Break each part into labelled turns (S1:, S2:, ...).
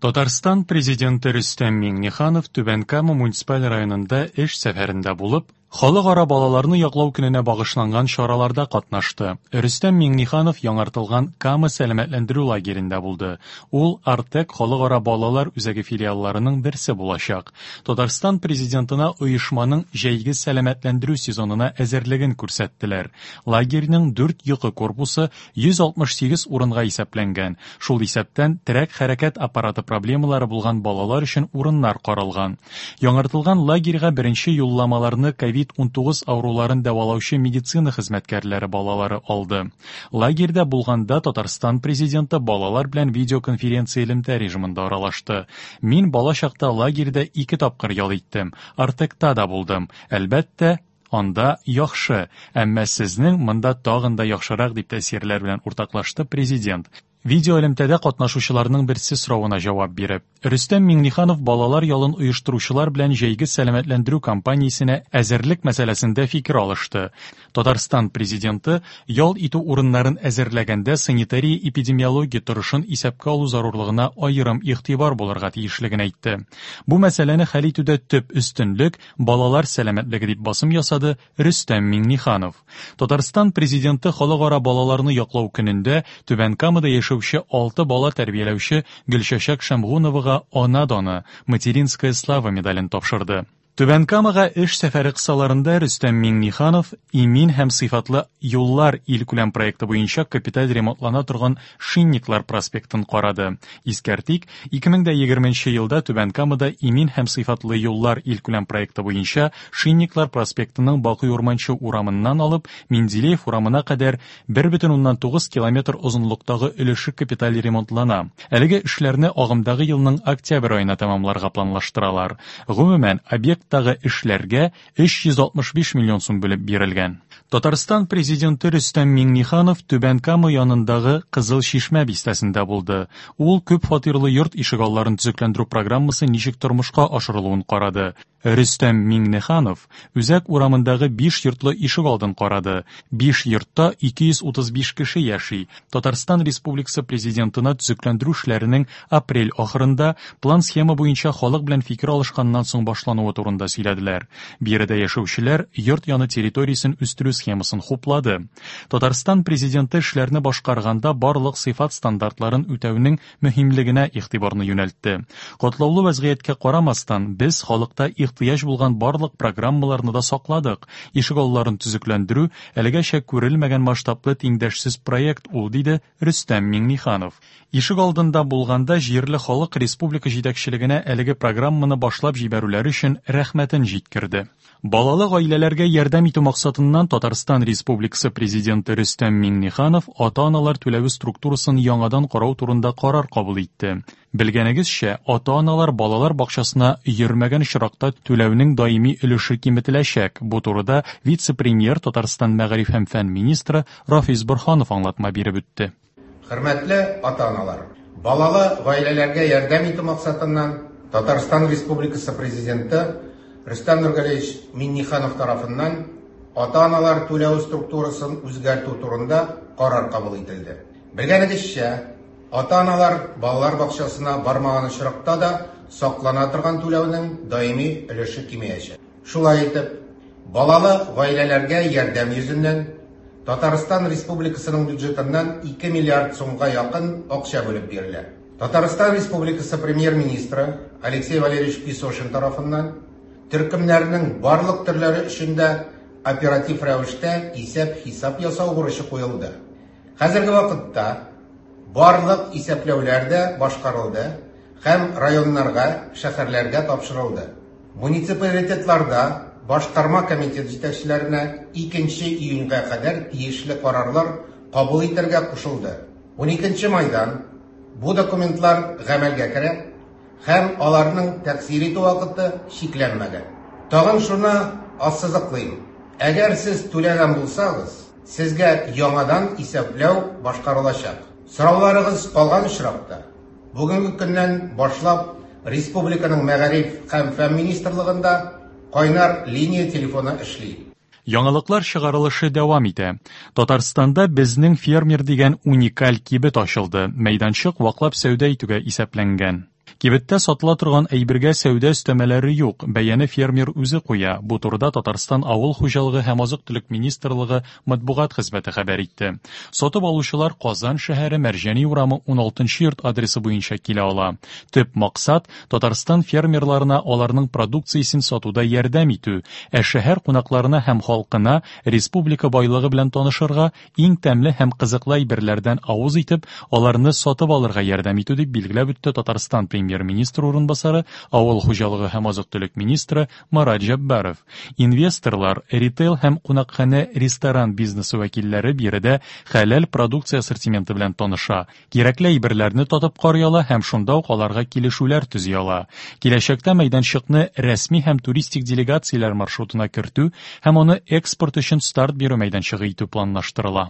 S1: Татарстан Президенты Рөстәм Миңнеханов Түбән Кама муниципаль районында эш сәфәрендә булып, Халыкара балаларны яклау көненә багышланган чараларда катнашты. Рөстәм Миңнеханов яңартылган Кама сәламәтләндерү лагеренда булды. Ул Артек халыкара балалар үзәге филиалларының берсе булачак. Татарстан Президентына оешманың җәйге сәламәтләндерү сезонына әзерлеген күрсәттеләр. Лагерьның дүрт йокы корпусы 168 урынга исәпләнгән, шул исәптән терәк-хәрәкәт аппараты проблемалары булган балалар өчен урыннар каралган. Яңартылган лагерьга беренче юлламаларны ковид-19 авыруларын дәвалаучы медицина хезмәткәрләре балалары алды. Лагерьда булганда Татарстан Президенты балалар белән видеоконференция элемтә режимында аралашты. Мин бала чакта лагерьда ике тапкыр ял иттем, Артекта да булдым. Әлбәттә, Анда яхшы, әмма сезнең монда тагын да яхшырак, дип тәэсирләр белән уртаклашты Президент, видеоэлемтәдә катнашучыларның берсе соравына җавап биреп. Рөстәм Миңнеханов балалар ялын оештыручылар белән җәйге сәламәтләндерү кампаниясенә әзерлек мәсьәләсендә фикер алышты. Татарстан Президенты ял итү урыннарын әзерләгәндә санитария-эпидемиология торышын исәпкә алу зарурлыгына аерым игътибар булырга тиешлеген әйтте. Бу мәсьәләне хәл итүдә төп өстенлек балалар сәламәтлеге дип басым ясады Рөстәм Миңнеханов. Татарстан Президенты Халыкара балаларны яклау көнендә Түбән Камада яшәүче алты бала тәрбияләүче Гөлчәчәк Шәмгуновага Ана даны, Материнская слава медален тапшырды. Түбән Камага эш сәфәре кысаларында Рөстәм Миңнеханов Имин һәм сыйфатлы юллар илкүләм проекты буенча капиталь ремонтлана торган Шинниклар проспектын карады. Искәртик, 2020 нче елда Түбән Камада Имин һәм сыйфатлы юллар илкүләм проекты буенча Шинниклар проспектының Бакый Урманчы урамыннан алып Менделеев урамына кадәр 1,9 километр озынлыктагы өлеше капиталь ремонтлана. Әлеге эшләрне агымдагы елның октябрь аена тәмамларга планлаштыралар. Гомумән, объекттагы эшләргә 365 миллион сум бүлеп бирелгән. Татарстан Президенты Рөстәм Миңнеханов Түбән Кама янындагы Кызыл Чишмә бистәсендә булды. Ул күп фатирлы йорт ишегалларын төзекләндерү программасы ничек тормышка ашырылуын карады. Рөстәм Миңнеханов Үзәк урамындагы биш йортлы ишегалдын карады. Биш йортта 235 кеше яши. Татарстан Республикасы Президентына төзекләндерү эшләренең апрель ахырында план-схема буенча халык белән фикер алышканнан соң башлануы турында сөйләделәр. Биредә яшәүчеләр йорт яны территориясен үстерү схемасын хуплады. Татарстан Президенты эшләрне башкарганда барлык сыйфат стандартларын үтәүнең мөһимлегенә игътибарны юнәлтте. Катлаулы вәзгыятькә карамастан, без халыкта ихтыяҗ булган барлык программаларны да сакладык. Ишегалларын төзекләндерү, әлегәчә күрелмәгән масштаблы тиңдәшсез проект ул, диде Рөстәм Миңнеханов. Ишек алдында булганда җирле халык республика җитәкчелегенә әлеге программаны башлап җибәрүләре өчен рәхмәтен җиткерде. Балалы гаиләләргә ярдәм итү максатыннан Татарстан Республикасы Президенты Рөстәм Миңнеханов ата-аналар түләве структурасын яңадан карау турында карар кабул итте. Белгәнегезчә, ата-аналар балалар бакчасына йөрмәгән очракта түләүнең даими өлеше киметеләчәк. Бу турыда вице-премьер, Татарстан мәгариф һәм фән министры Рафис Борһанов аңлатма биреп үтте.
S2: Хөрмәтле ата-аналар! Балалы гаиләләргә ярдәм итү максатыннан Татарстан Республикасы Президенты Рөстәм Нургалиевич Миңнеханов тарафыннан ата-аналар түләү структурасын үзгәртү турында карар кабул ителде. Белгәнегезчә, ата-аналар балалар бакчасына бармаган очракта да саклана торган түләүнең даими өлеше кимеячәк. Шулай итеп, балалы гаиләләргә ярдәм йөзеннән Татарстан Республикасының бюджетыннан 2 миллиард сумга якын акча бүлеп бирелә. Татарстан Республикасы Премьер-министры Алексей Валерьевич Песошин тарафыннан төркемнәрнең барлык төрләре өчен дә оператив рәвештә исәп-хисап ясау бурычы куелды. Хәзерге вакытта барлык исәпләүләр дә башкарылды һәм районнарга, шәһәрләргә тапшырылды. Муниципалитетларда башкарма комитет җитәкчеләренә икенче июньгә кадәр тиешле карарлар кабул итәргә кушылды. Уникенче майдан бу документлар гамәлгә керә һәм аларның тәэсир итү вакыты чикләнмәгән. Тагын шуны ассызыклыйм, әгәр сез түләгән булсагыз, сезгә яңадан исәпләү башкарылачак. Сорауларыгыз калган очракта, Бүгенге көннән башлап республиканың Мәгариф һәм фән министрлыгында кайнар линия телефоны эшли.
S1: Яңалыклар чыгарылышы дәвам итә. Татарстанда Безнең фермер дигән уникаль кибет ачылды. Мәйданчык ваклап сәүдә итүгә исәпләнгән. Кибеттә сатыла торган әйбергә сәүдә өстәмәләре юк, бәяне фермер үзе куя. Бу турыда Татарстан Авыл хуҗалыгы һәм азык-төлек министрлыгы матбугат хезмәте хәбәр итте. Сатып алучылар Казан шәһәре Мәрҗани урамы 16 нчы йорт адресы буенча килә ала. Төп максат, Татарстан фермерларына аларның продукциясен сатуда ярдәм итү, ә шәһәр кунакларына һәм халкына республика байлыгы белән танышырга, иң тәмле һәм кызыклы әйберләрдән авыз итеп, аларны сатып алырга ярдәм итү, дип билгеләп үтте Татарстан Премьер-министры урынбасары, авыл хуҗалыгы һәм азык-төлек министры Марат Җәббаров. Инвесторлар, ритейл һәм кунакханә-ресторан бизнесы вәкилләре биредә хәләл продукция ассортименты белән таныша, кирәкле әйберләрне татып карый ала һәм шунда ук аларга килешүләр төзи ала. Киләчәктә мәйданчыкны рәсми һәм туристик делегацияләр маршрутына кертү һәм аны экспорт өчен старт бирү мәйданчыгы итү планлаштырыла.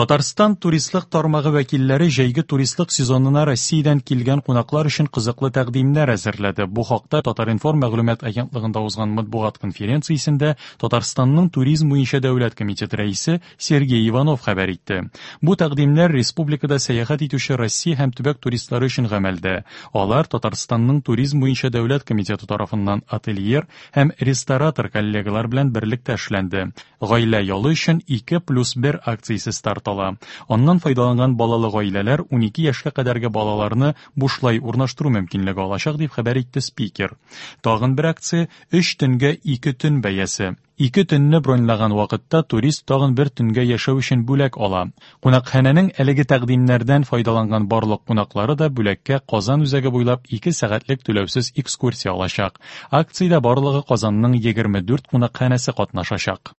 S1: Татарстан туристлык тармагы вәкилләре җәйге туристлык сезонына Россиядән килгән кунаклар өчен кызыклы тәкъдимнәр әзерләде. Бу хакта Татар-информ мәгълүмат агентлыгында узган матбугат конференциясендә Татарстанның туризм буенча дәүләт комитеты рәисе Сергей Иванов хәбәр итте. Бу тәкъдимнәр республикада сәяхәт итүче Россия һәм төбәк туристлары өчен гамәлдә. Алар Татарстанның туризм буенча дәүләт комитеты тарафыннан отельер һәм ресторатор коллегалар белән берлектә эшләнде. Гаилә ялы өчен 2 плюс 1 акциясе старт ала. Аннан файдаланган балалы гаиләләр 12 яшькә кадәрге балаларны бушлай урнаштыру мөмкинлеге алачак, дип хәбәр итте спикер. Тагын бер акция, өч төнгә ике төн бәясе. Ике төнне броньлаган вакытта турист тагын бер төнгә яшәү өчен бүләк ала. Кунакханәнең әлеге тәкъдимнәрдән файдаланган барлык кунаклары да бүләккә Казан үзәге буйлап ике сәгатьлек түләүсез экскурсия алачак. Акциядә барлыгы Казанның 24 кунакханәсе катнашачак.